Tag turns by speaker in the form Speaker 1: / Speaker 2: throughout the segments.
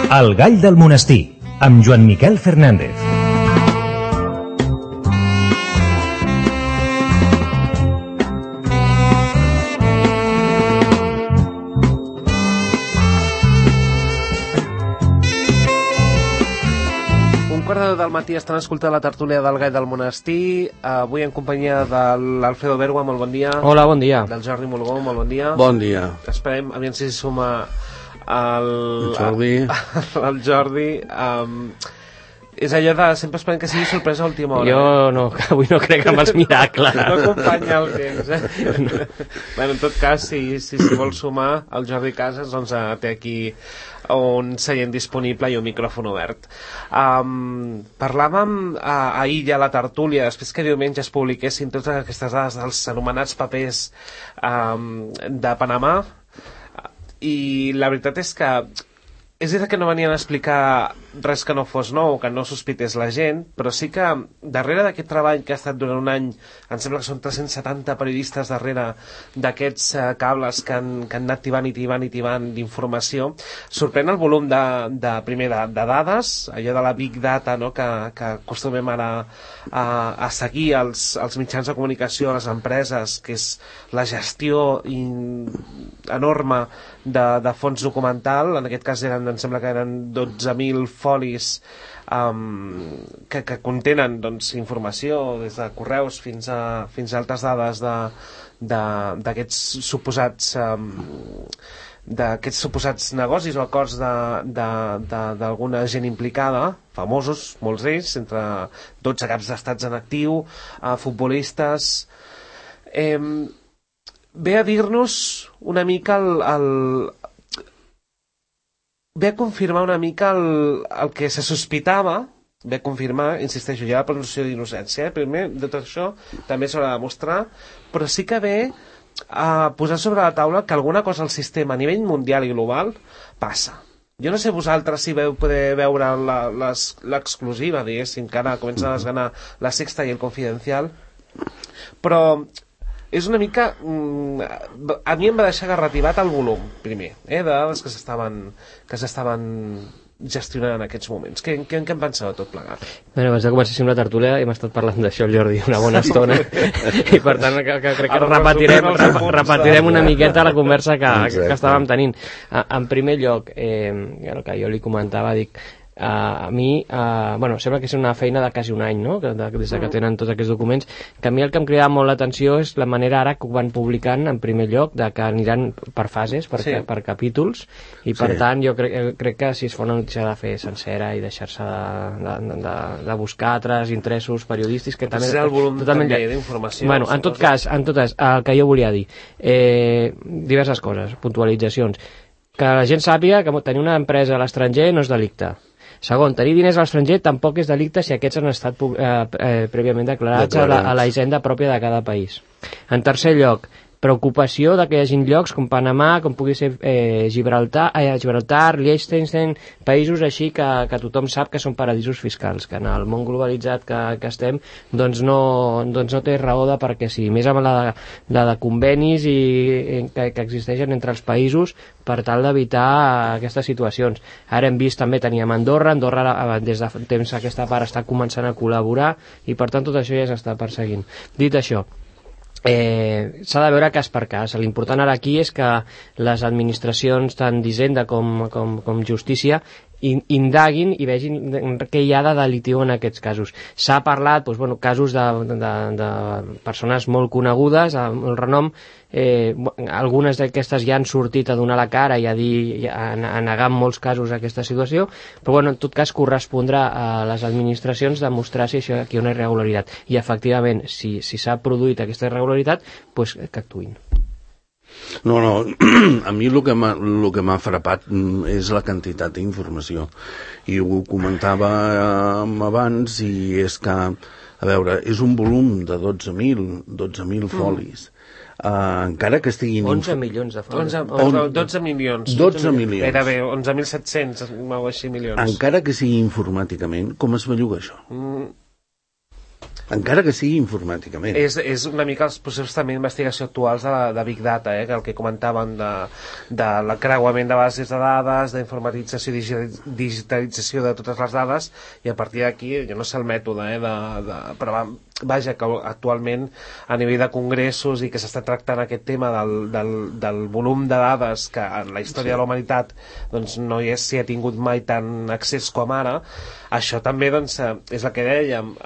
Speaker 1: El gall del monestir, amb Joan Miquel Fernández.
Speaker 2: Del matí estan escoltant la tertúlia del Gall del Monestir, avui en companyia de l'Alfredo Bergua, molt bon dia.
Speaker 3: Hola, bon dia.
Speaker 2: Del Jordi Molgó, molt bon dia.
Speaker 4: Bon dia.
Speaker 2: Esperem, aviam si s'hi suma el Jordi. És allò de sempre esperem que sigui sorpresa a última hora.
Speaker 3: Jo no, avui no crec en els miracles.
Speaker 2: No acompanya el temps, Bueno, en tot cas, si vol sumar, el Jordi Casas doncs, té aquí un seient disponible i un micròfon obert. Parlàvem ahir ja a la tertúlia, després que diumenge es publiquessin totes aquestes dades dels anomenats papers de Panamà, i la veritat és que és veritat que no venien a explicar res que no fos nou, que no sospités la gent, però sí que darrere d'aquest treball que ha estat durant un any, em sembla que són 370 periodistes darrere d'aquests cables que han anat tibant d'informació, sorprèn el volum primer de dades, allò de la Big Data, no? que acostumem ara a seguir els mitjans de comunicació, les empreses, que és la gestió enorme de fons documental. En aquest cas em sembla que eren 12.000 folis que contenen doncs, informació des de correus fins a altres dades d'aquests suposats negocis o acords d'alguna gent implicada, famosos, molts d'ells, entre 12 caps d'estats en actiu, futbolistes. Ve a dir-nos una mica ve a confirmar una mica el que se sospitava, ve a confirmar, insisteixo, ja la presumpció d'innocència, primer de tot això també s'haurà de demostrar, però sí que ve a posar sobre la taula que alguna cosa al sistema a nivell mundial i global passa. Jo no sé vosaltres si veu poder veure l'exclusiva, diguéssim, que ara comença a desganar La Sexta i El Confidencial, però és una mica... a mi em va deixar garrativat el volum, primer, de dades que s'estaven gestionant en aquests moments. Què en penseu de tot plegat?
Speaker 3: Bé, abans de començar la tertúlia hem estat parlant d'això, el Jordi, una bona estona, i per tant crec que repetirem una miqueta la conversa que estàvem tenint. En primer lloc, el que jo li comentava, dic, a mi, sembla que és una feina de quasi un any, no? Des que tenen tots aquests documents, que a mi el que em cridava molt l'atenció és la manera ara que ho van publicant, en primer lloc, de que aniran per fases, per capítols, i per tant jo crec que si es fa una notícia de fer sencera i deixar-se de buscar altres interessos periodístics, que també...
Speaker 2: És el volum també d'informació.
Speaker 3: Bueno, en tot cas, el que jo volia dir, diverses coses, puntualitzacions, que la gent sàpiga que tenir una empresa a l'estranger no és delicte. Segon, tenir diners a l'estranger tampoc és delicte si aquests han estat prèviament declarats a la hisenda pròpia de cada país. En tercer lloc, preocupació de que hi hagi llocs com Panamà, com pugui ser Gibraltar, Liechtenstein, països així que tothom sap que són paradisos fiscals, que en el món globalitzat que estem doncs no té raó de perquè sí, més amb la de convenis que existeixen entre els països per tal d'evitar aquestes situacions. Ara hem vist també, teníem Andorra des de temps aquesta part està començant a col·laborar i per tant tot això ja s'està perseguint. Dit això, s'ha de veure cas per cas. L'important ara aquí és que les administracions tant d'Hisenda com Justícia indaguin i vegin què hi ha de delitiu en aquests casos. S'ha parlat casos de persones molt conegudes, amb el renom, algunes d'aquestes ja han sortit a donar la cara i a negar en molts casos aquesta situació, però en tot cas correspondrà a les administracions demostrar si aquí hi ha una irregularitat, i efectivament si s'ha produït aquesta irregularitat, que actuïn.
Speaker 4: No, a mi el que m'ha frapat és la quantitat d'informació, i ho comentava abans, i és que, a veure, és un volum de 12.000 folis. Encara que estiguin...
Speaker 3: 11 milions de folis.
Speaker 2: 12 milions.
Speaker 4: 12 milions.
Speaker 2: Era bé, 11.700, o així, milions.
Speaker 4: Encara que sigui informàticament, com es belluga això? encara que sigui informàticament.
Speaker 2: És una mica els processos també d'investigació actuals de Big Data, que el que comentàvem de l'acreuament de bases de dades, d'informatització i digitalització de totes les dades, i a partir d'aquí, jo no sé el mètode, però vaja, que actualment a nivell de congressos i que s'està tractant aquest tema del volum de dades que en la història de la humanitat doncs, no s'hi ha tingut mai tant accés com ara, això també doncs, és el que dèiem,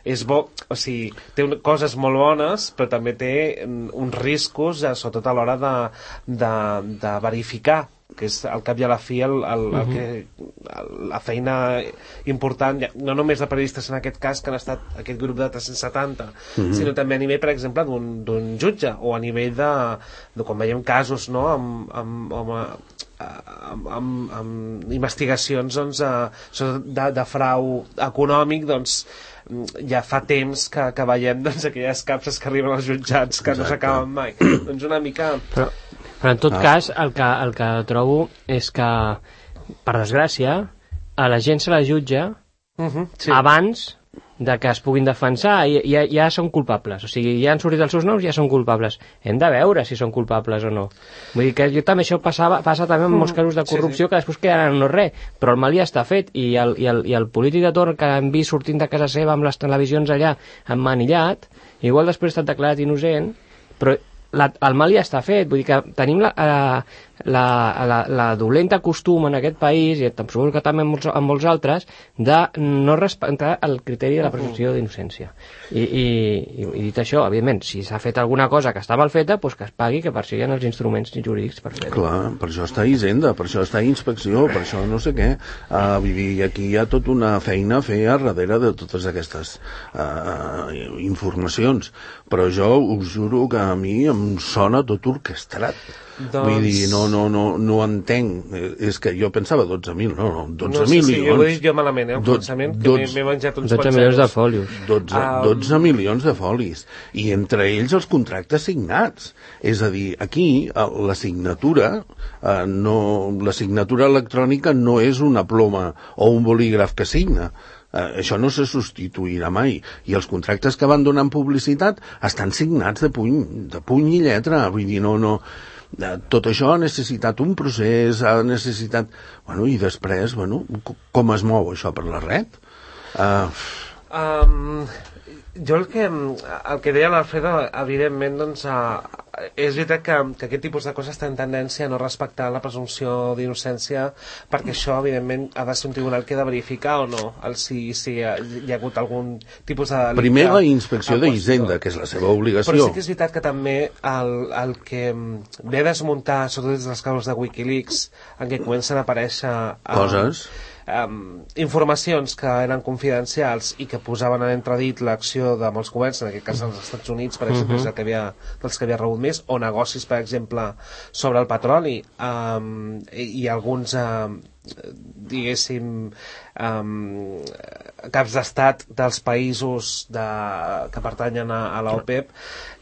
Speaker 2: és bo, o sigui, té coses molt bones, però també té uns riscos, sobretot a l'hora de verificar, que és al cap i a la fi la feina important, no només de periodistes en aquest cas, que han estat aquest grup de 370, sinó també a nivell, per exemple, d'un jutge, o a nivell de quan veiem casos, no?, amb investigacions doncs, de frau econòmic, doncs ja fa temps que veiem doncs, aquelles capses que arriben als jutjats que no s'acaben mai. Doncs una mica...
Speaker 3: Però en tot cas, el que trobo és que, per desgràcia, a la gent se la jutja abans de que es puguin defensar, ja són culpables. O sigui, ja han sortit els seus noms, ja són culpables. Hem de veure si són culpables o no. Vull dir que jo també això passa també en molts casos de corrupció, que després quedaran no res, però el mal ja està fet, i el polític de torn que hem vist sortint de casa seva amb les televisions allà emmanillat, igual després ha estat declarat innocent, però el mal ja està fet. Vull dir que tenim la dolenta costum en aquest país, i suposo que també en molts altres, de no respectar el criteri de la presumpció d'innocència. I dit això, evidentment, si s'ha fet alguna cosa que està mal feta, doncs que es pagui, que per això hi ha els instruments jurídics per fer-ho.
Speaker 4: Clar, per això està Hisenda, per això està Inspecció, per això no sé què. I aquí hi ha tota una feina a fer a darrere de totes aquestes informacions. Però jo us juro que a mi em sona tot orquestrat. Doncs... Vull dir, no entenc. És que jo pensava 12.000, no, 12 milions. Sí,
Speaker 2: jo ho he dit jo malament, el pensament, que m'he menjat uns
Speaker 3: 12 milions de folios.
Speaker 4: 12 milions de folis. I entre ells els contractes signats. És a dir, aquí la signatura electrònica no és una ploma o un bolígraf que signa. Això no se substituirà mai, i els contractes que van donant publicitat estan signats de puny i lletra. Vull dir, tot això ha necessitat un procés, ha necessitat... Bueno, i després, com es mou això per la red?
Speaker 2: Jo el que deia l'Alfredo, evidentment, doncs, és veritat que aquest tipus de coses tenen tendència a no respectar la presumpció d'innocència, perquè això, evidentment, ha de ser un tribunal que ha de verificar o no si hi ha hagut algun tipus de delicte.
Speaker 4: Primer la inspecció d'Hisenda, que és la seva obligació.
Speaker 2: Però sí que és veritat que també el que ve a desmuntar, sobretot des dels casos de Wikileaks, en què comencen a aparèixer...
Speaker 4: coses...
Speaker 2: informacions que eren confidencials i que posaven en entredit l'acció de molts governs, en aquest cas als Estats Units, per exemple, és dels que havia rebut més, o negocis, per exemple, sobre el petroli, i alguns diguéssim caps d'estat dels països que pertanyen a l'OPEP,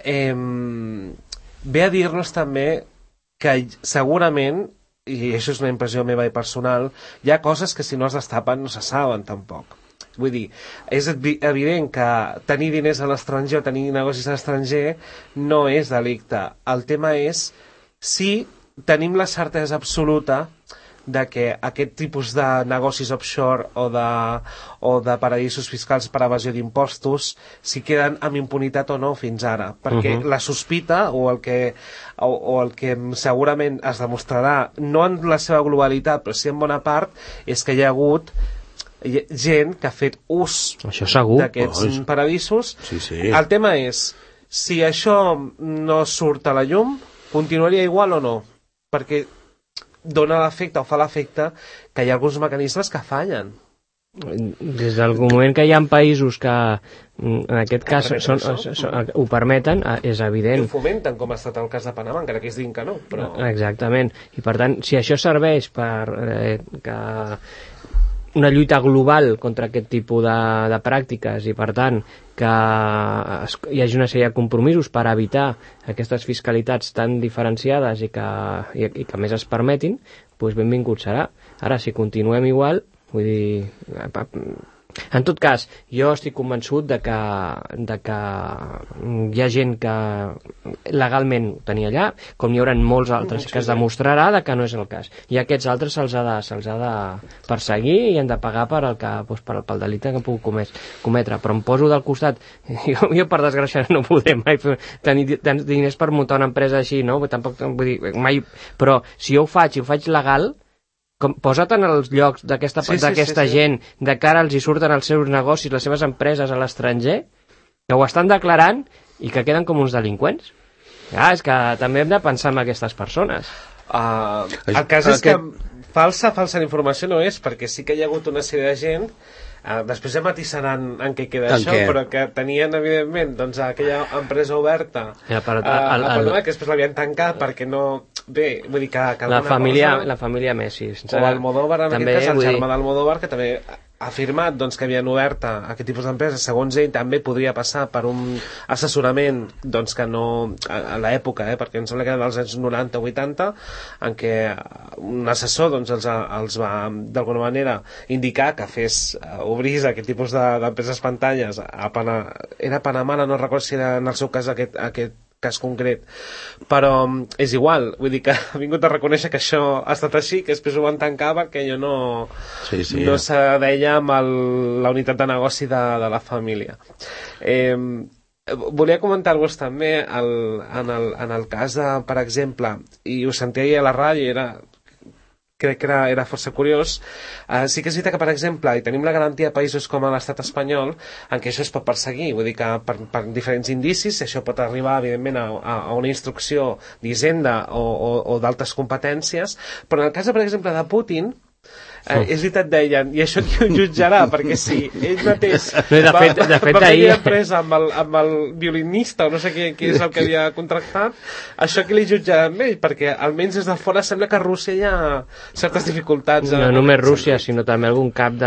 Speaker 2: ve a dir-nos també que segurament, i això és una impressió meva i personal, hi ha coses que si no es destapen no se saben tampoc. Vull dir, és evident que tenir diners a l'estranger o tenir negocis a l'estranger no és delicte. El tema és si tenim la certesa absoluta de que aquest tipus de negocis offshore o de paradisos fiscals per evasió d'impostos si queden amb impunitat o no fins ara, perquè la sospita o el que segurament es demostrarà, no en la seva globalitat però sí en bona part, és que hi ha hagut gent que ha fet ús d'aquests paradisos.
Speaker 4: Sí.
Speaker 2: El tema és si això no surt a la llum, continuaria igual o no, perquè dona l'efecte o fa l'efecte que hi ha alguns mecanismes que fallen.
Speaker 3: Des del moment que hi ha països que en aquest cas ho permeten, és evident.
Speaker 2: I ho fomenten, com ha estat el cas de Panamà, encara que es diguin que no. Però...
Speaker 3: Exactament. I per tant, si això serveix per que una lluita global contra aquest tipus de pràctiques i per tant que hi hagi una sèrie de compromisos per evitar aquestes fiscalitats tan diferenciades i que més es permetin, doncs benvingut serà. Ara, si continuem igual, vull dir, En tot cas, jo estic convençut de que hi ha gent que legalment ho tenia allà, com hi haurà molts altres que es demostrarà de que no és el cas. I a aquests altres se'ls ha de perseguir i han de pagar pel delicte que han pogut cometre. Però em poso del costat, jo per desgràcia no podré mai tenir tants diners per muntar una empresa així, no? Tampoc vull dir, mai, però si jo ho faig legal, posa't en els llocs d'aquesta gent, de cara els hi surten els seus negocis, les seves empreses a l'estranger, que ho estan declarant i que queden com uns delinqüents. És que també hem de pensar en aquestes persones.
Speaker 2: El cas és que falsa informació no és, perquè sí que hi ha hagut una sèrie de gent, després ja matissaran en què queda això, però que tenien evidentment doncs, aquella empresa oberta a Panamà, que després l'havien tancat perquè no... Bé, vull dir que
Speaker 3: la família Messi.
Speaker 2: O Almodóvar, en aquest cas, el germà d'Almodóvar, que també ha afirmat doncs, que havien obert aquest tipus d'empreses. Segons ell, també podria passar per un assessorament doncs, que no... a l'època, perquè em sembla que era dels anys 90 o 80, en què un assessor doncs, els va, d'alguna manera, indicar que obrís aquest tipus d'empreses pantalles era a Panamà, no recordo si era en el seu cas aquest cas concret, però és igual, vull dir que ha vingut a reconèixer que això ha estat així, que després ho van tancar perquè allò no s'adeia amb la unitat de negoci de la família. Volia comentar-vos també en el cas de, per exemple, i ho sentia ahir a la ràdio, crec que era força curiós. Sí que és veritat que, per exemple, hi tenim la garantia de països com l'estat espanyol en què això es pot perseguir, vull dir que per diferents indicis això pot arribar, evidentment, a una instrucció d'Hisenda o d'altres competències, però en el cas, per exemple, de Putin, és veritat, deien, i això qui ho jutjarà, perquè si ell mateix va tenir empresa amb el violinista o no sé qui és el que havia contractat, això qui li jutjarà amb ell, perquè almenys des de fora sembla que a Rússia hi ha certes dificultats.
Speaker 3: No només Rússia, sinó també algun cap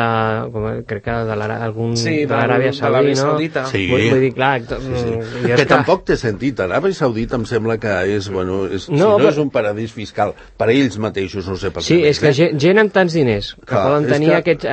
Speaker 3: crec que de l'Aràbia Saudita.
Speaker 4: Sí.
Speaker 3: Vull dir, clar,
Speaker 4: que tampoc té sentit. Aràbia Saudita em sembla que és, si no és un paradís fiscal per a ells mateixos, no sé per què.
Speaker 3: Sí, és que gent amb tants diners que poden tenir aquests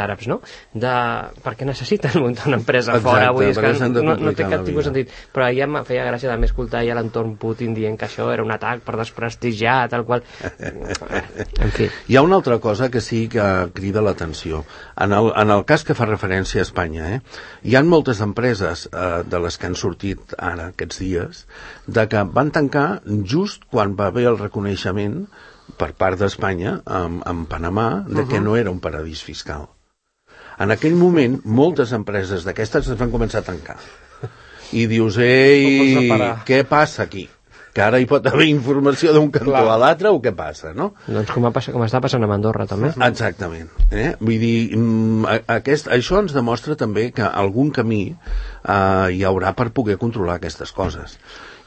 Speaker 3: àrabs, no? Perquè necessiten muntar una empresa fora, vull dir, que no té cap tipus de sentit. Però ja em feia gràcia també escoltar ja l'entorn Putin dient que això era un atac per desprestigiar, tal qual. En fi.
Speaker 4: Hi ha una altra cosa que sí que crida l'atenció. En el cas que fa referència a Espanya, hi ha moltes empreses de les que han sortit ara aquests dies, de que van tancar just quan va haver el reconeixement per part d'Espanya, en Panamà, de que no era un paradís fiscal. En aquell moment, moltes empreses d'aquestes es van començar a tancar. I dius, què passa aquí? Que ara hi pot haver informació d'un cantó a l'altre o què passa, no?
Speaker 3: Doncs com està passant a Andorra, també.
Speaker 4: Exactament. Vull dir, això ens demostra també que algun camí hi haurà per poder controlar aquestes coses.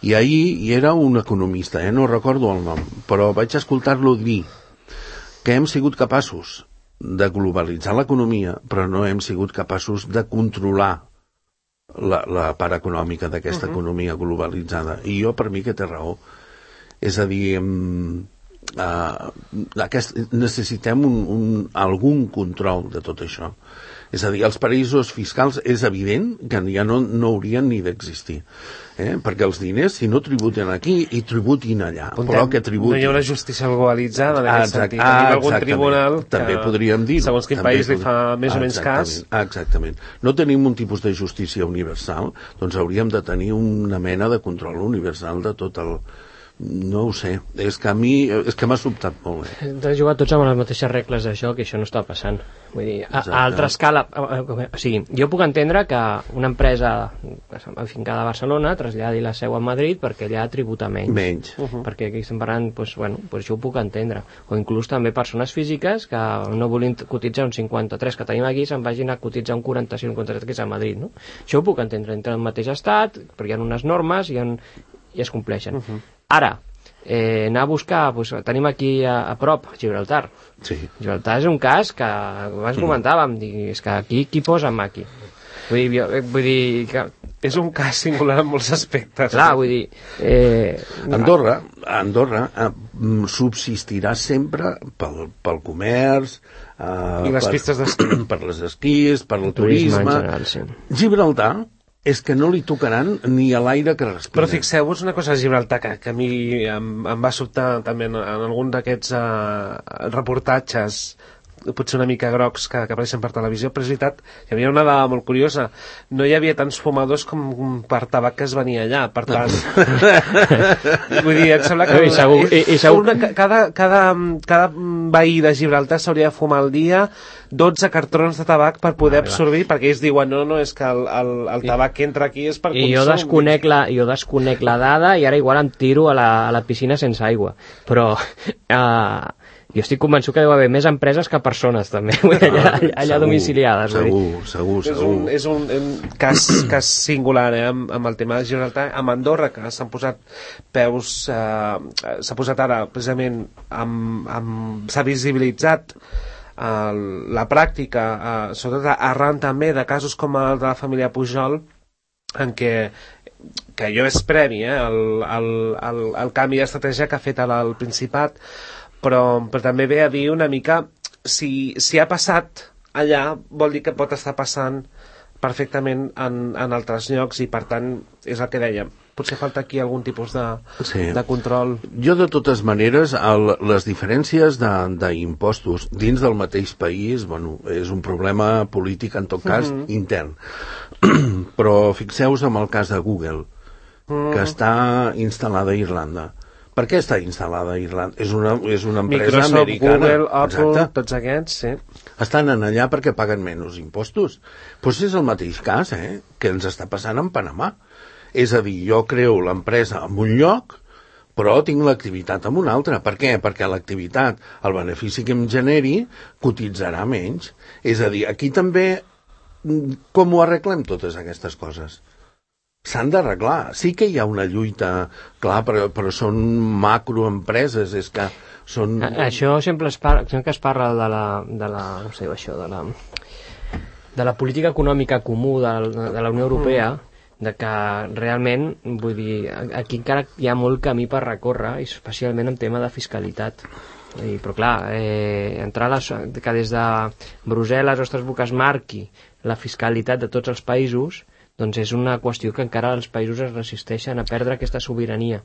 Speaker 4: I ahir hi era un economista, no recordo el nom, però vaig escoltar-lo dir que hem sigut capaços de globalitzar l'economia, però no hem sigut capaços de controlar la part econòmica d'aquesta economia globalitzada. I jo, per mi, que té raó. És a dir, necessitem algun control de tot això. És a dir, els paraïsos fiscals és evident que ja no haurien ni d'existir. Perquè els diners, si no tributen aquí, i tributin allà. Però que tributin.
Speaker 2: No hi ha una justícia globalitzada en aquest sentit. Tenim algun tribunal
Speaker 4: també podríem dir-ho.
Speaker 2: Segons quin país li fa més o menys cas.
Speaker 4: Exactament. No tenim un tipus de justícia universal, doncs hauríem de tenir una mena de control universal de tot el... No ho sé, és que a mi m'ha sobtat molt.
Speaker 3: Hem de jugar tots amb les mateixes regles d'això, que això no està passant. Vull dir, a altra escala, o sigui, jo puc entendre que una empresa afincada a Barcelona traslladi la seu a Madrid perquè allà tributa menys. Perquè aquí estem parlant, doncs això ho puc entendre. O inclús també persones físiques que no volien cotitzar un 53 que tenim aquí, se'n vagin a cotitzar un 45 o un 43 que és a Madrid, no? Això ho puc entendre entre el mateix estat, perquè hi ha unes normes i es compleixen. Ara, anar a buscar, tenim aquí a prop Gibraltar.
Speaker 4: Sí.
Speaker 3: Gibraltar és un cas que abans comentàvem, és que aquí qui posa en maqui? Vull dir que
Speaker 2: és un cas singular en molts aspectes.
Speaker 3: Clar, vull dir...
Speaker 4: Andorra Andorra subsistirà sempre pel comerç,
Speaker 2: I les pistes d'esquí.
Speaker 4: per les esquís, per el turisme.
Speaker 3: en general, sí.
Speaker 4: Gibraltar és que no li tocaran ni a l'aire que respira.
Speaker 2: Però fixeu-vos una cosa a Gibraltar que a mi em va sobtar també en algun d'aquests reportatges potser una mica grocs que apareixen per televisió, però és veritat que hi havia una dada molt curiosa. No hi havia tants fumadors com per tabac que es venia allà, per tant... Vull dir, em sembla que... Cada veí de Gibraltar s'hauria de fumar al dia 12 cartrons de tabac per poder absorbir, perquè ells diuen, no, és que el tabac que entra aquí és per consum.
Speaker 3: I jo desconec la dada i ara igual em tiro a la piscina sense aigua. Però... jo estic convençut que deu haver més empreses que persones, també, allà domiciliades.
Speaker 4: Segur.
Speaker 2: És un cas singular, amb el tema de Gibraltar. Amb Andorra, que s'han posat peus... s'ha posat ara, precisament, s'ha visibilitzat la pràctica, sobretot arran també de casos com el de la família Pujol, en què jo és previ, el canvi d'estratègia que ha fet al Principat, però també ve a dir una mica si ha passat allà vol dir que pot estar passant perfectament en altres llocs i per tant és el que dèiem, potser falta aquí algun tipus de control.
Speaker 4: Jo de totes maneres les diferències d'impostos dins del mateix país, bueno, és un problema polític en tot cas intern, però fixeu-vos en el cas de Google que està instal·lada a Irlanda. Per què està instal·lada a Irlanda? És una empresa
Speaker 2: Microsoft,
Speaker 4: americana.
Speaker 2: Google, Apple,
Speaker 4: exacte.
Speaker 2: Tots aquests, sí.
Speaker 4: Estan allà perquè paguen menys impostos. Doncs és el mateix cas, que ens està passant en Panamà. És a dir, jo creo l'empresa en un lloc, però tinc l'activitat en un altre. Per què? Perquè l'activitat, el benefici que em generi, cotitzarà menys. És a dir, aquí també, com ho arreglem totes aquestes coses? S'han d'arreglar. Sí que hi ha una lluita, clar, però són macroempreses, és que són...
Speaker 3: Això sempre es parla de la política econòmica comú de la Unió Europea, de que realment, vull dir, aquí encara hi ha molt camí per recórrer, especialment en tema de fiscalitat. Però clar, que des de Brussel·les o Estrasburg es marqui la fiscalitat de tots els països, doncs és una qüestió que encara els països es resisteixen a perdre aquesta sobirania.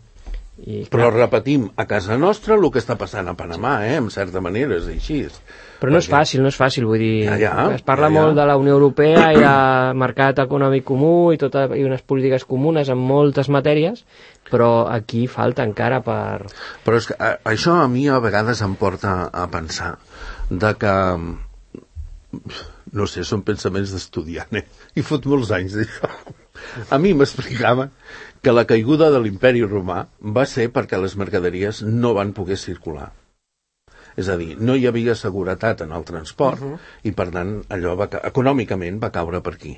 Speaker 4: Però repetim, a casa nostra el que està passant a Panamà, en certa manera és així.
Speaker 3: Però no és fàcil, vull dir, es parla molt de la Unió Europea i de mercat econòmic comú i unes polítiques comunes en moltes matèries, però aquí falta encara per...
Speaker 4: Però és que això a mi a vegades em porta a pensar de que... no sé, són pensaments d'estudiant, i fot molts anys d'això. A mi m'explicava que la caiguda de l'imperi romà va ser perquè les mercaderies no van poder circular. És a dir, no hi havia seguretat en el transport i, per tant, allò econòmicament va caure per aquí.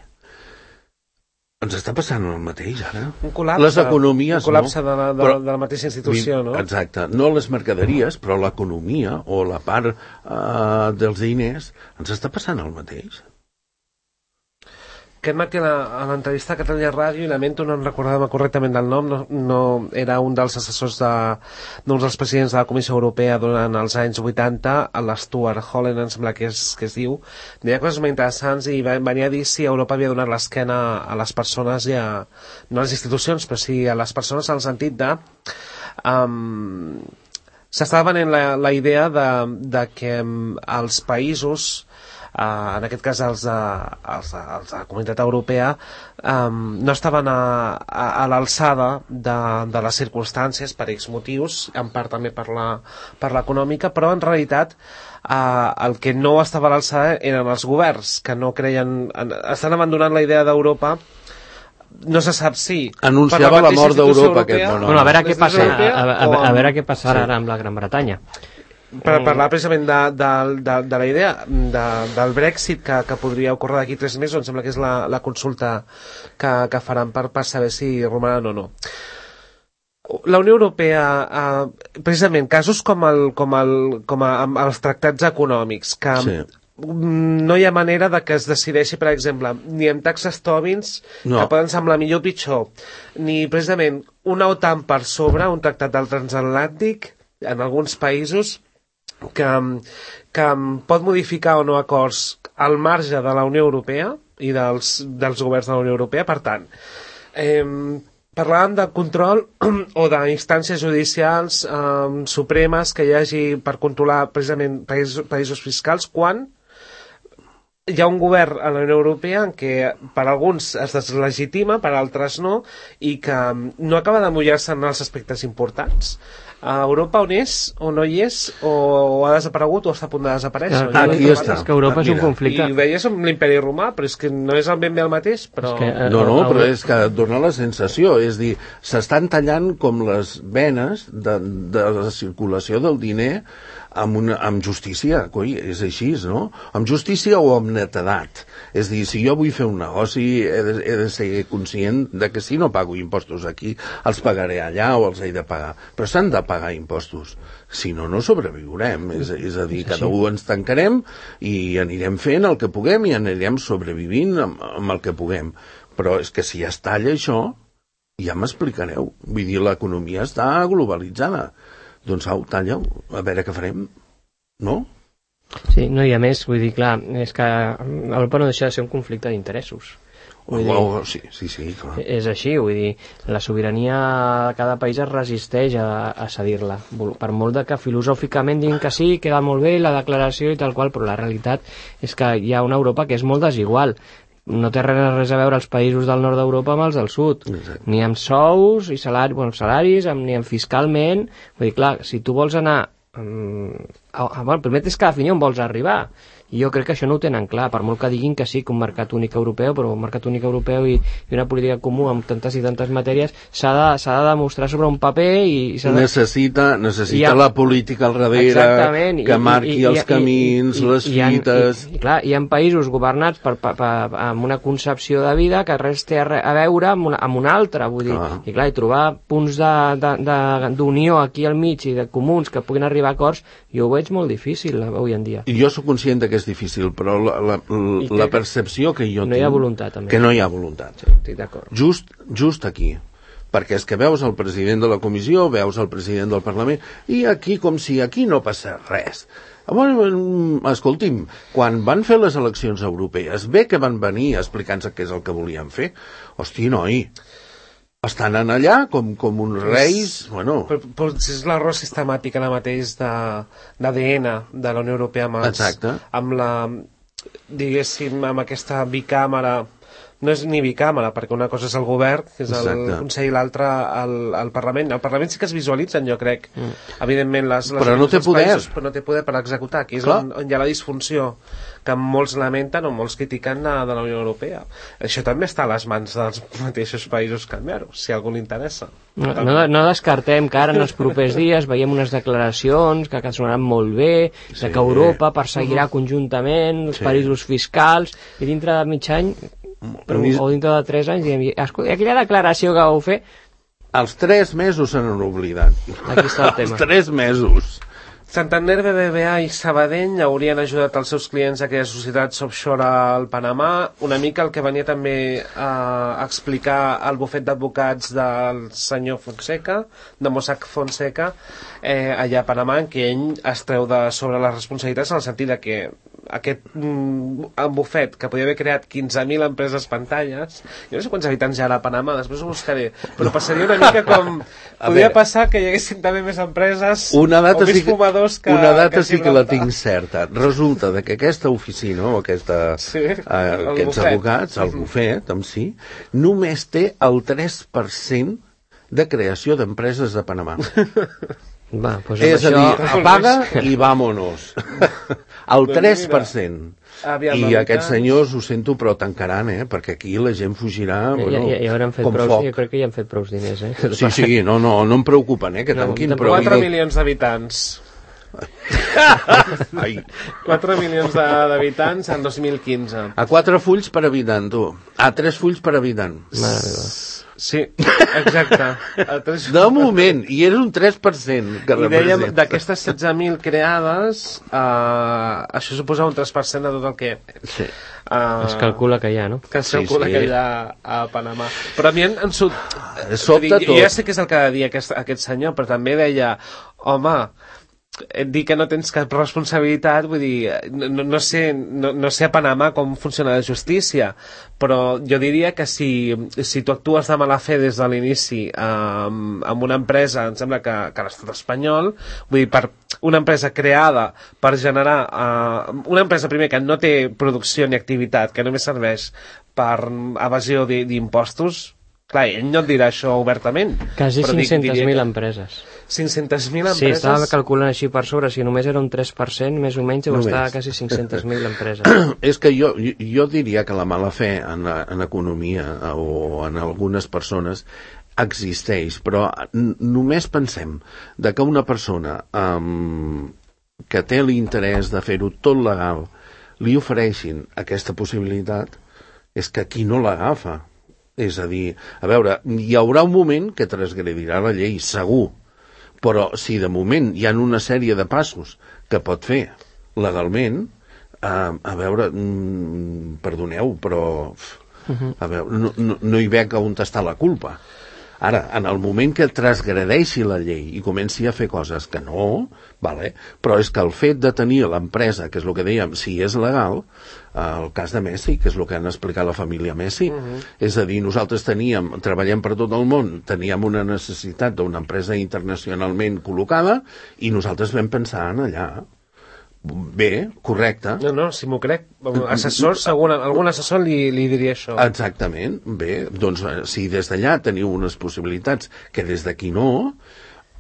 Speaker 4: Ens està passant el mateix, ara.
Speaker 2: Un col·lapse,
Speaker 4: les economies,
Speaker 2: de la mateixa institució, no?
Speaker 4: Exacte. No les mercaderies, però l'economia o la part dels diners ens està passant el mateix.
Speaker 2: Aquest matí a l'entrevista a Catalunya Ràdio, i lamento no recordar-me correctament del nom, no era un dels assessors d'un dels presidents de la Comissió Europea durant els anys 80, l'Stuart Holland, em sembla que es diu, deia coses molt interessants i venia a dir si Europa havia donat l'esquena a les persones i no a les institucions, però sí a les persones en el sentit de... s'estava venent la idea de que els països... en aquest cas els de la Comunitat Europea no estaven a l'alçada de les circumstàncies per X motius, en part també per l'econòmica, però en realitat el que no estava a l'alçada eren els governs, que no creien, estan abandonant la idea d'Europa. No se sap si
Speaker 4: anunciava la mort d'Europa aquest monòleg.
Speaker 3: Bueno, a veure què passarà ara amb la Gran Bretanya.
Speaker 2: Per parlar precisament de la idea del Brexit que podria ocórrer d'aquí 3 mesos, em sembla que és la consulta que faran per saber si romanen o no. La Unió Europea, precisament, casos com els tractats econòmics, que no hi ha manera de que es decideixi, per exemple, ni amb taxes Tobins, que poden semblar millor o pitjor, ni precisament una OTAN per sobre, un tractat del transatlàntic, en alguns països, que pot modificar o no acords al marge de la Unió Europea i dels governs de la Unió Europea. Per tant, parlàvem de control o d'instàncies judicials supremes que hi hagi per controlar precisament països fiscals quan hi ha un govern a la Unió Europea en què per alguns es deslegitima, per altres no, i que no acaba de mullar-se en els aspectes importants. A Europa on és, o no hi és, o ha desaparegut o està a punt de desaparèixer.
Speaker 4: Aquí està.
Speaker 3: És que Europa és un conflicte.
Speaker 2: I ho deies amb l'imperi romà, però és que no és ben bé el mateix. Però...
Speaker 4: però és que dona la sensació, és dir, s'estan tallant com les venes de la circulació del diner amb justícia, coi, és així, no? Amb justícia o amb netedat. És dir, si jo vull fer un negoci he de ser conscient de que si no pago impostos aquí, els pagaré allà o els he de pagar. Però s'han de pagar impostos. Si no, no sobreviurem. És a dir, cada un ens tancarem i anirem fent el que puguem i anirem sobrevivint amb el que puguem. Però és que si es talla això, ja m'explicareu. Vull dir, l'economia està globalitzada. Doncs au, talla-ho, a veure què farem, no?
Speaker 3: Sí, no, i a més, vull dir, clar, és que Europa no deixa de ser un conflicte d'interessos.
Speaker 4: Sí, clar.
Speaker 3: És així, vull dir, la sobirania de cada país es resisteix a cedir-la. Per molt de que filosòficament diguin que sí, queda molt bé la declaració i tal qual, però la realitat és que hi ha una Europa que és molt desigual. No té res a veure els països del nord d'Europa amb els del sud. Exacte. Ni amb sous i salaris, ni amb fiscalment. Vull dir, clar, si tu vols anar... el primer és que definir on vols arribar. I jo crec que això no ho tenen clar, per molt que diguin que sí, que un mercat únic europeu, però un mercat únic europeu i una política comú amb tantes i tantes matèries s'ha de demostrar sobre un paper i
Speaker 4: necessita la política al darrere que marqui els camins, les fites...
Speaker 3: Clar, hi ha països governats amb una concepció de vida que res té a veure amb una altra, vull dir, i clar, i trobar punts d'unió aquí al mig i de comuns que puguin arribar a acords, jo ho veig molt difícil avui en dia.
Speaker 4: I jo soc conscient que és difícil, però la percepció que jo tinc...
Speaker 3: No hi ha voluntat, també.
Speaker 4: Que no hi ha voluntat.
Speaker 3: Sí, estic d'acord.
Speaker 4: Just aquí. Perquè és que veus el president de la comissió, veus el president del Parlament, i aquí com si aquí no passa res. Escolti'm, quan van fer les eleccions europees, bé que van venir explicant-se què és el que volien fer. Hosti, noi... Estan allà com uns reis... Bueno...
Speaker 2: Però és l'error sistemàtic ara mateix d'ADN de la Unió Europea amb la, diguéssim, amb aquesta bicàmera. No és ni bicàmera, perquè una cosa és el govern, que és el Consell, i l'altra el Parlament. El Parlament sí que es visualitzen, jo crec, evidentment,
Speaker 4: però no té poder.
Speaker 2: Països, però no té poder per executar. Aquí és on hi ha la disfunció que molts lamenten o molts critiquen de la Unió Europea. Això també està a les mans dels mateixos països canviar-ho, si a algú li interessa.
Speaker 3: No descartem que ara en els propers dies veiem unes declaracions que sonaran molt bé, de que Europa perseguirà conjuntament els paradisos fiscals, i dintre de mig any o dintre de 3 anys diem, aquella declaració que vau fer...
Speaker 4: Els 3 mesos se n'han oblidat.
Speaker 3: Aquí està el tema.
Speaker 4: Els 3 mesos.
Speaker 2: Santander, BBVA i Sabadell haurien ajudat els seus clients a crear societats offshore al Panamà. Una mica el que venia també a explicar el bufet d'advocats del senyor Fonseca, de Mossack Fonseca, allà a Panamà, en què ell es treu de sobre les responsabilitats en el sentit de que aquest bufet que podia haver creat 15.000 empreses pantalles, jo no sé quants habitants hi ha a Panamà, després ho buscaré, però passaria una mica com podria passar que hi haguessin també més empreses o més fumadors que
Speaker 4: una data sí que la tinc certa. Resulta que aquesta oficina o aquests advocats, el bufet en si, només té el 3% de creació d'empreses de Panamà.
Speaker 3: Pues
Speaker 4: és a dir, apaga i vámonos. El 3%. I aquests senyors, ho sento, però tancaran, perquè aquí la gent fugirà com foc.
Speaker 3: Jo crec que ja han fet prou diners,
Speaker 4: Sí, no em preocupen, que tanquin.
Speaker 2: 4 milions d'habitants. 4 milions d'habitants en 2015.
Speaker 4: A 4 fulls per habitant, tu. A 3 fulls per habitant.
Speaker 2: Sí, exacte.
Speaker 4: De moment, i és un 3% que
Speaker 2: I dèiem,
Speaker 4: representa.
Speaker 2: d'aquestes 16.000 creades, això suposa un 3% de tot el que...
Speaker 4: Sí.
Speaker 3: Es calcula que hi ha, no?
Speaker 2: Que es
Speaker 4: Sí,
Speaker 2: calcula
Speaker 4: sí.
Speaker 2: que hi ha a Panamà. Però a mi en
Speaker 4: Sobta
Speaker 2: jo ja
Speaker 4: tot.
Speaker 2: sé què és el que ha de dir aquest senyor, però també deia, home, dir que no tens cap responsabilitat, vull dir, no sé a Panamà com funciona la justícia, però jo diria que si tu actues de mala fe des de l'inici amb una empresa, em sembla que l'estat espanyol, vull dir, per una empresa creada per generar una empresa primer que no té producció ni activitat, que només serveix per evasió d'impostos, clar, ell no et dirà això obertament.
Speaker 3: Quasi
Speaker 2: però
Speaker 3: 500.000 empreses.
Speaker 2: 500.000 empreses?
Speaker 3: Sí, estava calculant així per sobre, si només era un 3%, més o menys, deu estar a quasi 500.000 empreses.
Speaker 4: És que jo diria que la mala fe en economia o en algunes persones existeix, però només pensem de que una persona que té l'interès de fer-ho tot legal li ofereixin aquesta possibilitat, és que qui no l'agafa. És a dir, a veure, hi haurà un moment que transgredirà la llei, segur, però si de moment hi ha una sèrie de passos que pot fer legalment, a veure, perdoneu, però a veure, no hi veig on està la culpa. Ara, en el moment que transgredeixi la llei i comenci a fer coses que no, vale? Però és que el fet de tenir l'empresa, que és el que dèiem, si és legal, el cas de Messi, que és el que han explicat la família Messi, és a dir, nosaltres treballem per tot el món, teníem una necessitat d'una empresa internacionalment col·locada i nosaltres vam pensar en allà. Bé, correcte.
Speaker 2: No, si m'ho crec. Assessor, segur, algun assessor li diria això.
Speaker 4: Exactament. Bé, doncs si des d'allà teniu unes possibilitats que des d'aquí no,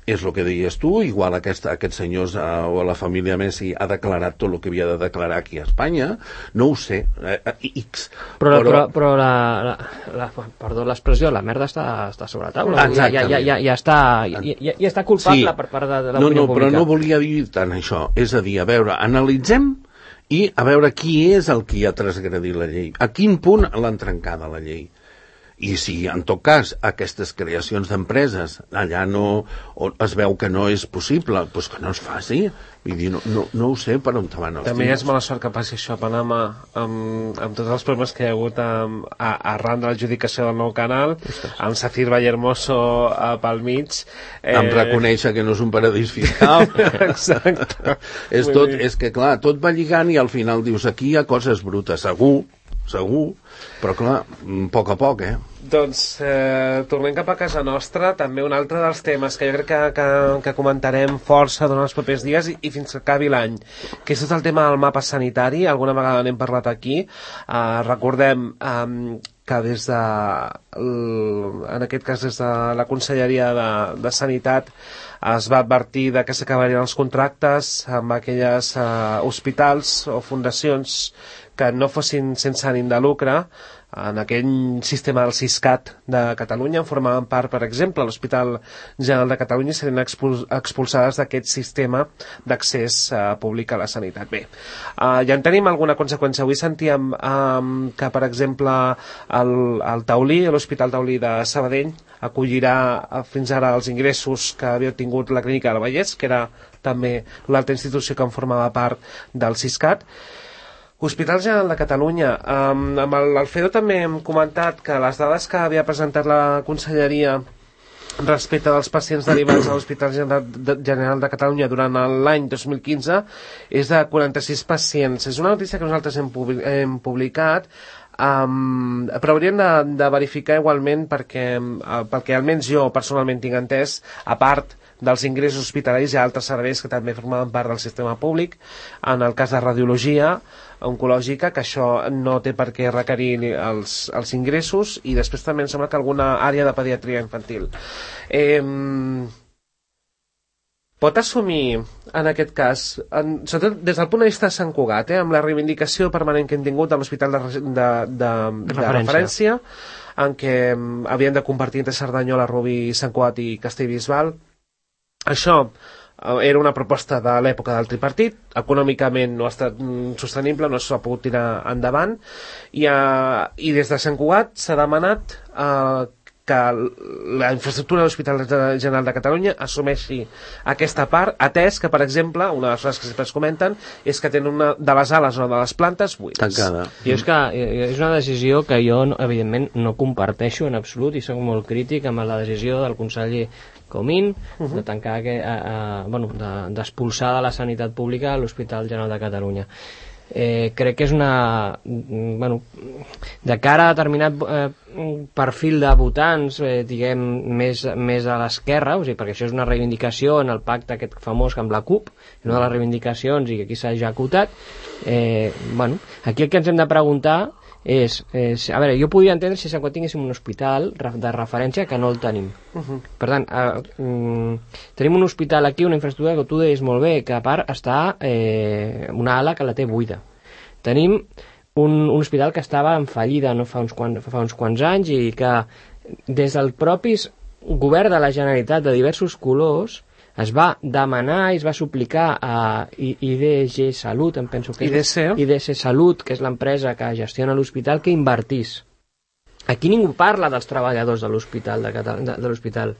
Speaker 4: és el que deies tu, igual aquest senyor o la família Messi ha declarat tot el que havia de declarar aquí a Espanya, no ho sé, X.
Speaker 3: Però perdó l'expressió, la merda està sobre la taula. Ja està culpable per part de l'opinió pública.
Speaker 4: Però no volia dir tant això. És a dir, a veure, analitzem i a veure qui és el qui ha transgredit la llei. A quin punt l'han trencada la llei? I si, en tot cas, aquestes creacions d'empreses allà no es veu que no és possible, doncs que no es faci. Vull dir, no ho sé per on te van els
Speaker 2: També
Speaker 4: tirs.
Speaker 2: és mala sort que passi això a Panamà amb tots els problemes que hi ha hagut arran de l'adjudicació del nou canal, amb Safir Vallehermoso pel mig.
Speaker 4: Em reconèixer que no és un paradís fiscal.
Speaker 2: Exacte.
Speaker 4: És que, clar, tot va lligant i al final dius, aquí hi ha coses brutes, segur, però clar, a poc,
Speaker 2: Doncs tornem cap a casa nostra. També un altre dels temes que jo crec que comentarem força durant els propers dies i fins que acabi l'any, que és tot el tema del mapa sanitari. Alguna vegada n'hem parlat aquí. Recordem que des de en aquest cas des de la Conselleria de Sanitat es va advertir que s'acabarien els contractes amb aquelles hospitals o fundacions que no fossin sense ànim de lucre. En aquell sistema del Siscat de Catalunya en formaven part, per exemple, l'Hospital General de Catalunya, serien expulsades d'aquest sistema d'accés públic a la sanitat. Bé, ja en tenim alguna conseqüència. Avui sentíem que, per exemple, el Taulí, l'Hospital Taulí de Sabadell, acollirà fins ara els ingressos que havia obtingut la Clínica del Vallès, que era també l'altra institució que en formava part del Siscat. Hospital General de Catalunya. Amb l'Alfredo també hem comentat que les dades que havia presentat la Conselleria respecte dels pacients derivats a l'Hospital General de Catalunya durant l'any 2015 és de 46 pacients. És una notícia que nosaltres hem publicat, però hauríem de verificar igualment perquè almenys jo personalment tinc entès, a part dels ingressos hospitalaris hi ha altres serveis que també formaven part del sistema públic, en el cas de radiologia oncològica, que això no té per què requerir els ingressos, i després també em sembla que alguna àrea de pediatria infantil. Pot assumir, en aquest cas, sobretot des del punt de vista de Sant Cugat, amb la reivindicació permanent que hem tingut de l'hospital de referència, en què havien de compartir entre Cerdanyola, Rubí, Sant Cugat i Castellbisbal. Això era una proposta de l'època del tripartit, econòmicament no ha estat sostenible, no s'ha pogut tirar endavant, i des de Sant Cugat s'ha demanat que la infraestructura de l'Hospital General de Catalunya assumeixi aquesta part, atès que, per exemple, una de les coses que sempre es comenten és que tenen una de les ales o de les plantes buides.
Speaker 4: Tancada.
Speaker 3: I és que és una decisió que jo, evidentment, no comparteixo en absolut i soc molt crític amb la decisió del conseller Comín de tancar, d'expulsar de la sanitat pública l'Hospital General de Catalunya. Crec que és una... de cara a determinat perfil de votants, diguem, més a l'esquerra, o sigui, perquè això és una reivindicació en el pacte aquest famós amb la CUP, una de les reivindicacions i que aquí s'ha executat. Aquí el que ens hem de preguntar és a veure, jo podria entendre si quan tinguéssim un hospital de referència que no el tenim. Per tant, tenim un hospital aquí, una infraestructura que tu deies molt bé, que a part està una ala que la té buida. Tenim un hospital que estava en fallida fa uns quants anys i que des del propi govern de la Generalitat de diversos colors es va demanar i es va suplicar a IDG Salut, em penso que és IDC Salut, que és l'empresa que gestiona l'hospital, que invertís. Aquí ningú parla dels treballadors de l'hospital, de l'hospital.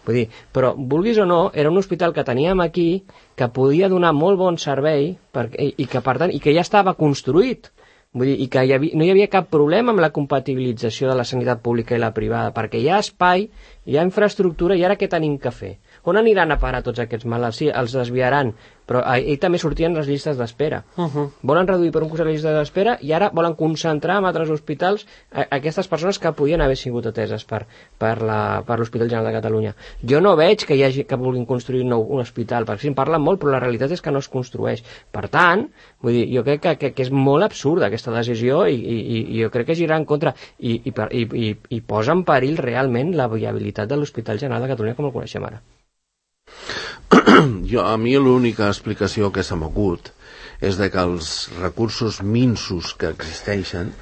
Speaker 3: Vull dir, però, vulguis o no, era un hospital que teníem aquí, que podia donar molt bon servei i que, per tant, i que ja estava construït. Vull dir, i que no hi havia cap problema amb la compatibilització de la sanitat pública i la privada, perquè hi ha espai, hi ha infraestructura, i ara què tenim que fer? On aniran a parar tots aquests malalts? Sí, els desviaran, però ahir també sortien les llistes d'espera. Volen reduir per un costat les llistes d'espera i ara volen concentrar en altres hospitals aquestes persones que podien haver sigut ateses per l'Hospital General de Catalunya. Jo no veig que hi hagi que vulguin construir un hospital, perquè sí, en parlen molt, però la realitat és que no es construeix. Per tant, vull dir, jo crec que és molt absurda aquesta decisió i jo crec que girà en contra i posa en perill realment la viabilitat de l'Hospital General de Catalunya com el coneixem ara.
Speaker 4: A mi l'única explicació que se m'acut és de que els recursos minsos que existeixen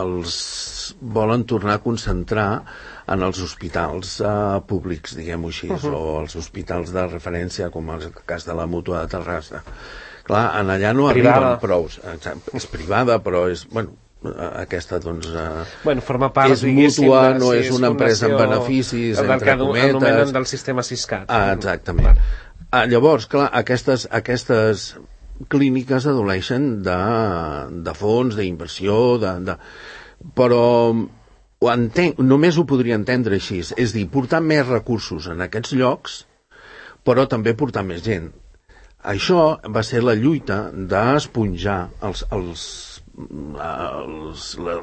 Speaker 4: els volen tornar a concentrar en els hospitals públics, diguem-ho així, o els hospitals de referència, com el cas de la Mútua de Terrassa. Clar, allà no arriben prou. És privada, però és... aquesta doncs
Speaker 2: forma part,
Speaker 4: és mútua, no és una empresa amb beneficis entre cometes,
Speaker 2: anomenen del sistema Siscat.
Speaker 4: Exactament. Llavors, clar, aquestes clíniques adoleixen de fons, d'inversió, però només ho podria entendre així, és dir, portar més recursos en aquests llocs, però també portar més gent. Això va ser la lluita d'esponjar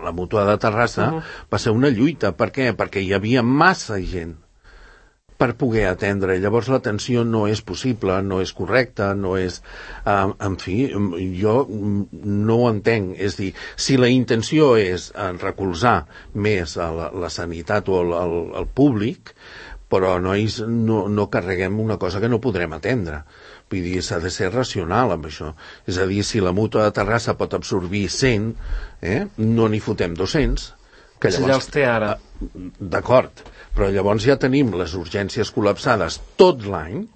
Speaker 4: la Mútua de Terrassa. Va ser una lluita. Per què? Perquè hi havia massa gent per poder atendre. Llavors l'atenció no és possible, no és correcta, no és... En fi, jo no ho entenc. És dir, si la intenció és recolzar més la sanitat o el públic, però no carreguem una cosa que no podrem atendre. Vull dir, s'ha de ser racional amb això. És a dir, si la Mútua de Terrassa pot absorbir 100, no n'hi fotem 200. Que
Speaker 2: llavors, ja els té ara.
Speaker 4: D'acord, però llavors ja tenim les urgències col·lapsades tot l'any,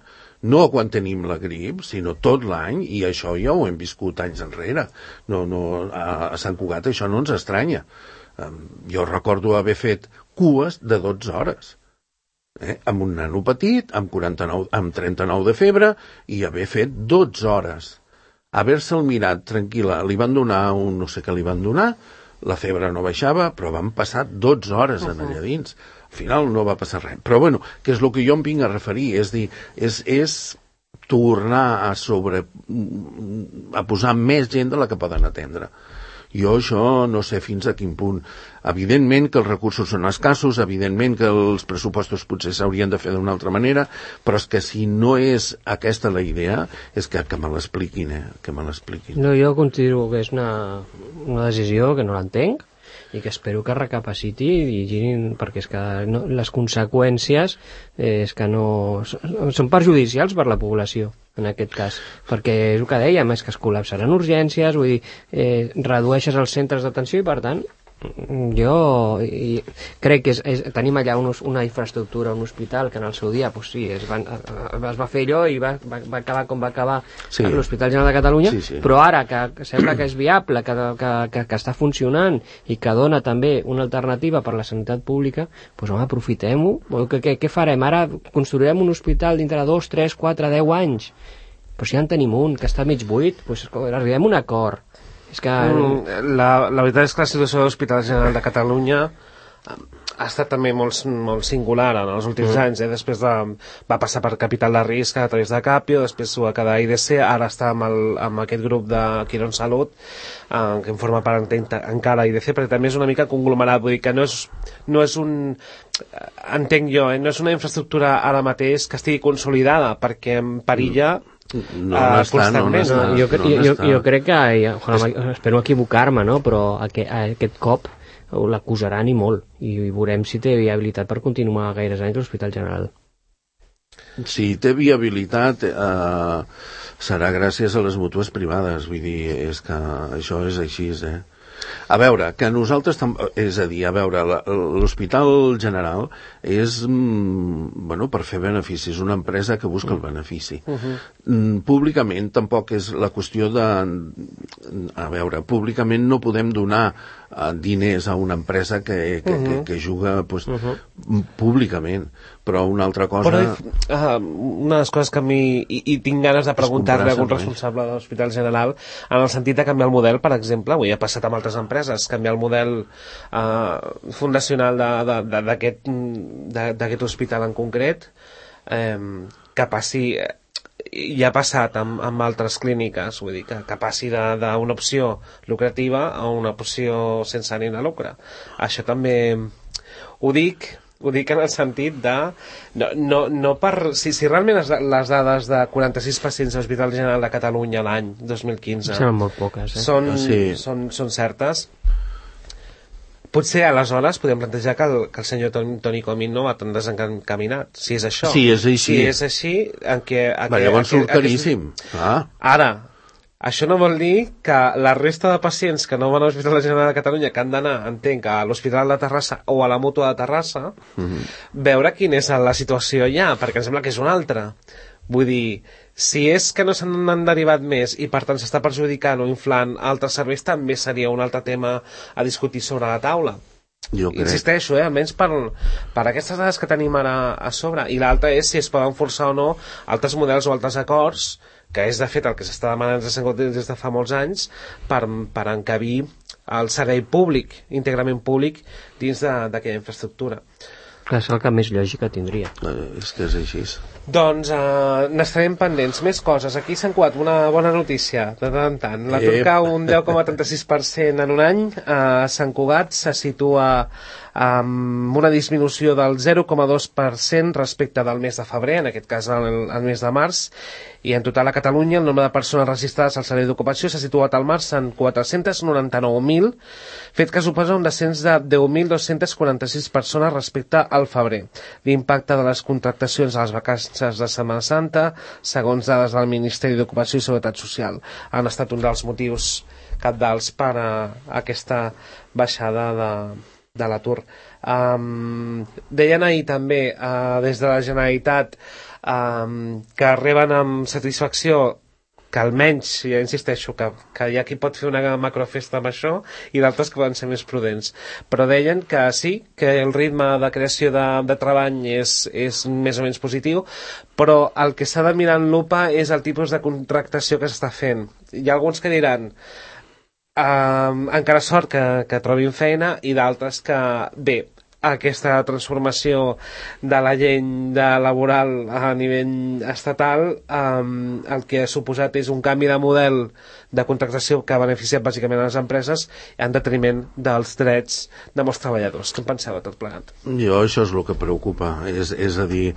Speaker 4: no quan tenim la grip, sinó tot l'any, i això ja ho hem viscut anys enrere. A Sant Cugat això no ens estranya. Jo recordo haver fet cues de 12 hores. Amb un nano petit, amb 39 de febre, i haver fet 12 hores. Haver-se'l mirat tranquil·la, li van donar no sé què li van donar, la febre no baixava, però van passar 12 hores allà dins. Al final no va passar res. Però que és el que jo em vinc a referir, és dir, és tornar a posar més gent de la que poden atendre. Jo això no sé fins a quin punt. Evidentment que els recursos són escassos, evidentment que els pressupostos potser s'haurien de fer d'una altra manera, però és que si no és aquesta la idea, és que me l'expliquin, que me l'expliquin.
Speaker 3: No, jo considero que és una decisió que no l'entenc i que espero que recapaciti i girin, perquè és que les conseqüències és que són perjudicials per la població en aquest cas, perquè és el que dèiem, és que es col·lapsaran urgències, vull dir, redueixes els centres d'atenció i per tant Jo crec que tenim allà una infraestructura, un hospital que en el seu dia pues sí, es va fer allò i va acabar com va acabar l'Hospital General de Catalunya, però ara que sembla que és viable, que està funcionant i que dona també una alternativa per la sanitat pública, doncs home, aprofitem-ho. Què farem? Ara construirem un hospital dintre de 2, 3, 4, 10 anys, però si ja en tenim un que està mig buit, doncs arribem a un acord. És que...
Speaker 2: La veritat és que la situació de l'Hospital General de Catalunya ha estat també molt singular en els últims anys. Després va passar per capital de risc a través de Capio, després ho va quedar IDC, ara està amb aquest grup de Quirón Salut, que en forma part encara IDC, perquè també és una mica conglomerat, vull dir que no és un... entenc jo, no és una infraestructura ara mateix que estigui consolidada, perquè en perilla...
Speaker 3: Jo crec que espero equivocar-me, no? Però aquest cop l'acusaran i molt, i veurem si té viabilitat per continuar gaires anys l'Hospital General.
Speaker 4: Si té viabilitat serà gràcies a les mútues privades, vull dir, és que això és així, A veure, que nosaltres... És a dir, a veure, l'Hospital General és, per fer beneficis, una empresa que busca el benefici. Públicament tampoc és la qüestió de... A veure, públicament no podem donar diners a una empresa que juga públicament, però una altra cosa...
Speaker 2: Una de les coses que a mi... I tinc ganes de preguntar-li a algun responsable de l'Hospital General, en el sentit de canviar el model, per exemple, avui ha passat amb altres empreses, canviar el model fundacional d'aquest hospital en concret, que passi... Ja ha passat amb altres clíniques, vull dir, que passi d'una opció lucrativa a una opció sense ànim de lucre. Això també ho dic en el sentit de... No per... Si realment les dades de 46 pacients a l'Hospital General de Catalunya l'any 2015
Speaker 3: són molt poques,
Speaker 2: són certes, potser aleshores podem plantejar que el senyor Toni Comín no va tan desencaminat, si és això.
Speaker 4: Si és així.
Speaker 2: Si és així,
Speaker 4: llavors surt caríssim.
Speaker 2: Ara, això no vol dir que la resta de pacients que no van a l'Hospital General de Catalunya, que han d'anar, entenc, a l'Hospital de Terrassa o a la Mútua de Terrassa, veure quina és la situació allà, perquè em sembla que és una altra. Vull dir, si és que no se n'han derivat més i per tant s'està perjudicant o inflant altres serveis, també seria un altre tema a discutir sobre la taula. Insisteixo, almenys per aquestes dades que tenim ara a sobre. I l'altra és si es poden forçar o no altres models o altres acords, que és de fet el que s'està demanant des de fa molts anys, per encabir el servei públic, íntegrament públic, dins d'aquella infraestructura.
Speaker 3: Clar, és el que més lògica tindria.
Speaker 4: És que és així.
Speaker 2: Doncs n'estarem pendents. Més coses. Aquí s'ha encuat una bona notícia, de tant en tant. L'atur cau un 10,36% en un any. Sant Cugat se situa amb una disminució del 0,2% respecte del mes de febrer, en aquest cas el mes de març, i en total a Catalunya el nombre de persones registrades al servei d'ocupació s'ha situat al març en 499.000, fet que suposa un descens de 10.246 persones respecte al febrer. L'impacte de les contractacions a les vacances de Setmana Santa, segons dades del Ministeri d'Ocupació i Seguretat Social, han estat un dels motius cabdals per a aquesta baixada de l'atur. Deien ahir també des de la Generalitat que reben amb satisfacció que almenys, ja insisteixo, que hi ha qui pot fer una macrofesta amb això i d'altres que poden ser més prudents, però deien que sí, que el ritme de creació de treball és més o menys positiu, però el que s'ha de mirar en lupa és el tipus de contractació que s'està fent. Hi ha alguns que diran encara sort que trobin feina, i d'altres que, bé, aquesta transformació de la llei laboral a nivell estatal el que ha suposat és un canvi de model de contractació que ha beneficiat bàsicament a les empreses en detriment dels drets de molts treballadors. Què en penseu de tot plegat?
Speaker 4: Jo això és el que preocupa, és a dir,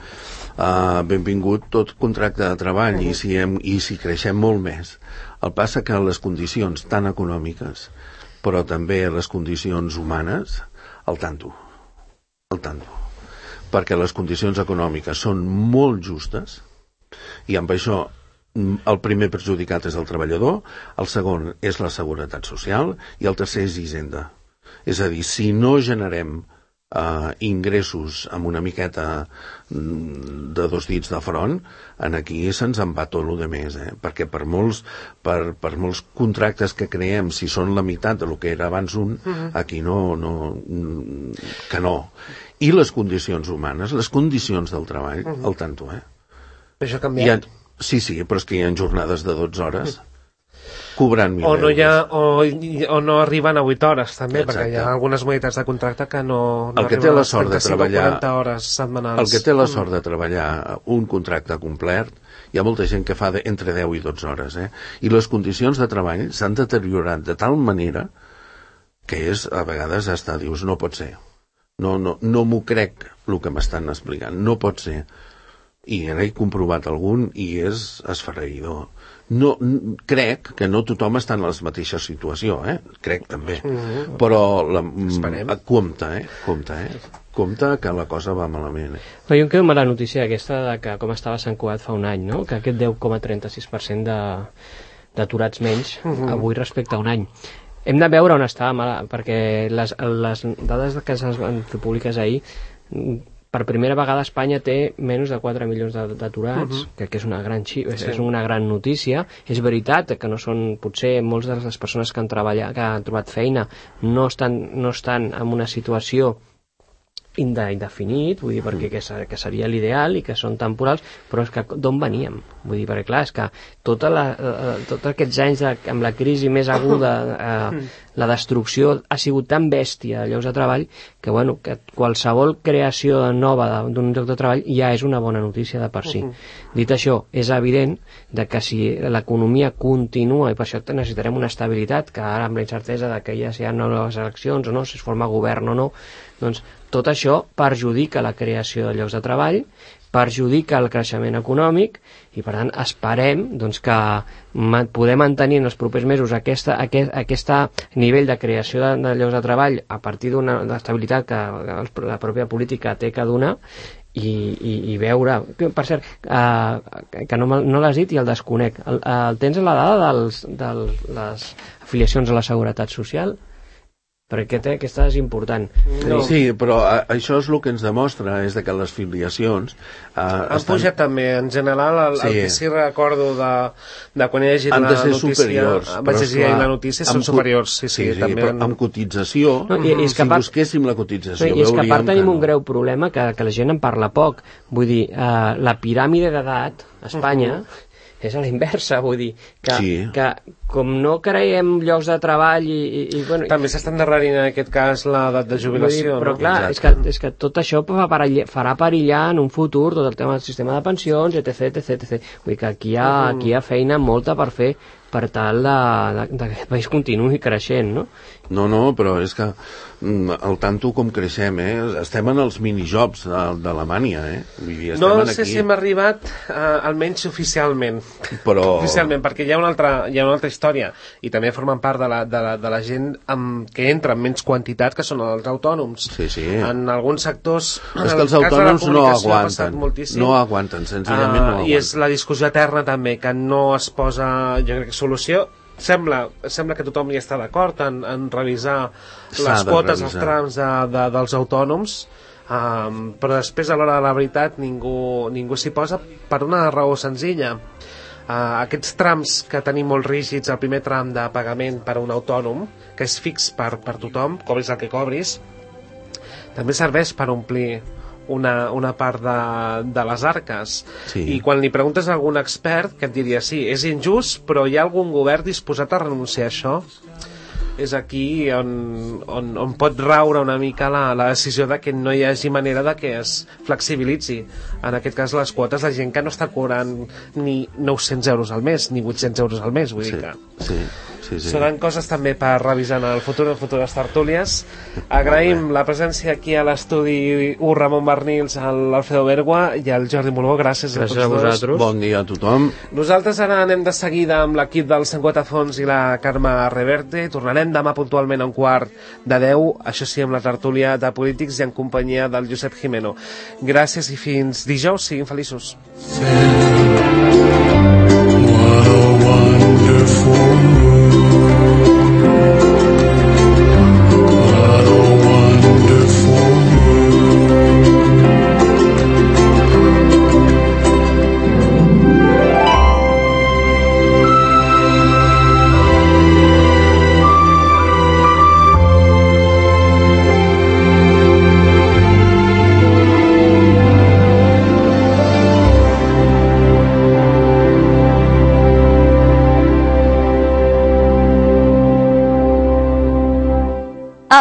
Speaker 4: benvingut tot contracte de treball i si creixem molt més. El passa que les condicions tan econòmiques però també les condicions humanes al tanto, perquè les condicions econòmiques són molt justes i amb això el primer perjudicat és el treballador, el segon és la seguretat social i el tercer és Hisenda. És a dir, si no generem ingressos amb una miqueta de 2 dits de front, aquí se'ns en va tot el de més, perquè per molts contractes que creem, si són la meitat del que era abans aquí que no. I les condicions humanes, les condicions del treball, al tanto,
Speaker 2: Això ha canviat?
Speaker 4: Sí, però és que hi ha jornades de 12 hores cobrant 1.000 euros.
Speaker 2: O no arriben a 8 hores, també,
Speaker 4: Exacte.
Speaker 2: perquè hi ha algunes modalitats de contracte que no
Speaker 4: el que té la sort de treballar
Speaker 2: 40 hores setmanals.
Speaker 4: El que té la sort de treballar un contracte complet, hi ha molta gent que fa entre 10 i 12 hores, i les condicions de treball s'han deteriorat de tal manera que a vegades hasta dius, no pot ser. No m'ho crec el que m'estan explicant, no pot ser. I n'he comprovat algun i és esfereïdor. Crec que no tothom està en la mateixa situació, crec també, però compte que la cosa va malament.
Speaker 3: Jo em quedo amb la notícia aquesta de que com estava Sant Cugat fa un any, no? Que aquest 10,36% d'aturats menys avui respecte a un any. Hem de veure on està, perquè les dades que es van fer públiques ahir, per primera vegada Espanya té menys de 4 milions d'aturats, que és una gran és una gran notícia. És veritat que no són, potser moltes de les persones que han trobat feina no estan en una situació indefinit, vull dir, perquè que seria l'ideal i que són temporals, però és que d'on veníem? Vull dir, perquè clar, és que tots aquests anys amb la crisi més aguda, la destrucció ha sigut tan bèstia de llocs de treball que, bueno, que qualsevol creació nova d'un lloc de treball ja és una bona notícia de per si. Dit això, és evident que si l'economia continua, i per això necessitarem una estabilitat, que ara amb la incertesa de que ja si hi ha noves eleccions o no, si es forma govern o no, doncs tot això perjudica la creació de llocs de treball, perjudica el creixement econòmic i, per tant, esperem doncs, que poder mantenir en els propers mesos aquest nivell de creació de llocs de treball a partir d'una estabilitat que la pròpia política té que donar i veure... Per cert, que no l'has dit i el desconec. Tens la dada de les afiliacions a la Seguretat Social? Perquè aquesta és important.
Speaker 4: Sí, però això és el que ens demostra, és que les filiacions
Speaker 2: han pujat també, en general, el que sí recordo de quan he llegit la notícia,
Speaker 4: superiors,
Speaker 2: vaig llegir la notícia, són superiors, sí, també.
Speaker 4: Però amb cotització, si busquéssim la cotització,
Speaker 3: i és que a part tenim un greu problema que la gent en parla poc. Vull dir, la piràmide d'edat a Espanya és a la inversa, vull dir, que com no creem llocs de treball bueno,
Speaker 2: també s'està endarrerint en aquest cas l'edat de jubilació,
Speaker 3: però clar, és que tot això farà perillar en un futur tot el tema del sistema de pensions, etc. Vull dir que aquí hi ha feina molta per fer per tal que aquest país continuï creixent, no?
Speaker 4: No, però és que al tanto com creixem, estem en els minijobs d'Alemanya, vull dir, estem
Speaker 2: no
Speaker 4: aquí.
Speaker 2: sé si hem arribat almenys oficialment, perquè hi ha una altra història, i també formen part de la gent que entra en menys quantitat, que són els autònoms.
Speaker 4: Sí.
Speaker 2: En alguns sectors...
Speaker 4: És que els autònoms no aguanten, senzillament no aguanten.
Speaker 2: I és la discussió eterna també, que no es posa, jo crec que solució. Sembla que tothom hi està d'acord en revisar les quotes, els trams dels autònoms, però després a l'hora de la veritat ningú s'hi posa per una raó senzilla. Aquests trams que tenim molt rígids, el primer tram de pagament per a un autònom, que és fix per tothom, cobris el que cobris, també serveix per omplir una part de les arques. I quan li preguntes a algun expert, que et diria sí, és injust, però hi ha algun govern disposat a renunciar a això? És aquí on pot raure una mica la decisió de que no hi hagi manera de que es flexibilitzi, en aquest cas, les quotes de gent que no està cobrant ni 900 euros al mes, ni 800 euros al mes, vull dir que... Seran coses també per revisar en el futur, en futures tertúlies. Agraïm la presència aquí a l'estudi Ramon Barnils, l'Alfredo Bergua i el Jordi Moló. Gràcies a tots dos.
Speaker 4: Bon dia a tothom.
Speaker 2: Nosaltres ara anem de seguida amb l'equip del Sant Cugat a Fons i la Carme Reverte. Tornarem demà puntualment a 9:45, això sí, amb la tertúlia de polítics i en companyia del Josep Jimeno. Gràcies i fins dijous. Siguin feliços.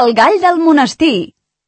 Speaker 5: El gall del monestir.